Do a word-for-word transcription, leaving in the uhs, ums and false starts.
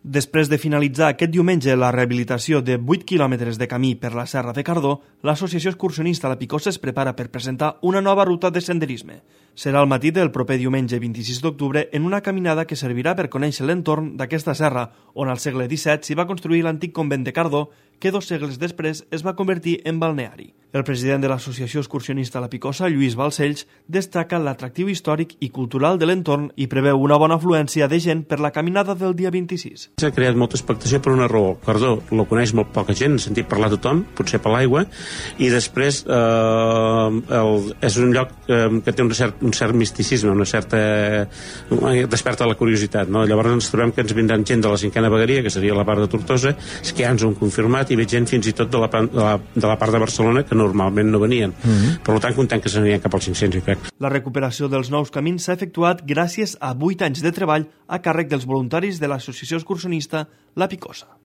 Després de finalitzar aquest diumenge la rehabilitació de vuit quilòmetres de camí per la Serra de Cardó, l'Associació Excursionista La Picosa es prepara per presentar una nova ruta de senderisme. Serà al matí del proper diumenge vint-i-sis d'octubre en una caminada que servirà per conèixer l'entorn d'aquesta serra, on al segle disset s'hi va construir l'antic convent de Cardó, que dos segles després es va convertir en balneari. El president de l'Associació Excursionista La Picosa, Lluís Balcells, destaca l'atractiu històric i cultural de l'entorn i preveu una bona afluència de gent per la caminada del dia vint-i-sis. S'ha creat molta expectació per una raó. Cardó lo coneix molt poca gent, he sentit parlar tothom, potser per l'aigua, i després eh, el, és un lloc eh, que té un cert, un cert misticisme, una certa... Eh, desperta la curiositat, no? Llavors ens trobem que ens vindran gent de la cinquena vegueria, que seria la part de Tortosa, que ja ens ho han confirmat, i veig gent fins i tot de la, de la, de la part de Barcelona que normalment no venien. Mm-hmm. Per tant, content que s'anirien cap als cinc-cents, jo crec. La recuperació dels nous camins s'ha efectuat gràcies a vuit anys de treball a càrrec dels voluntaris de l'Associació Excursionista La Picosa.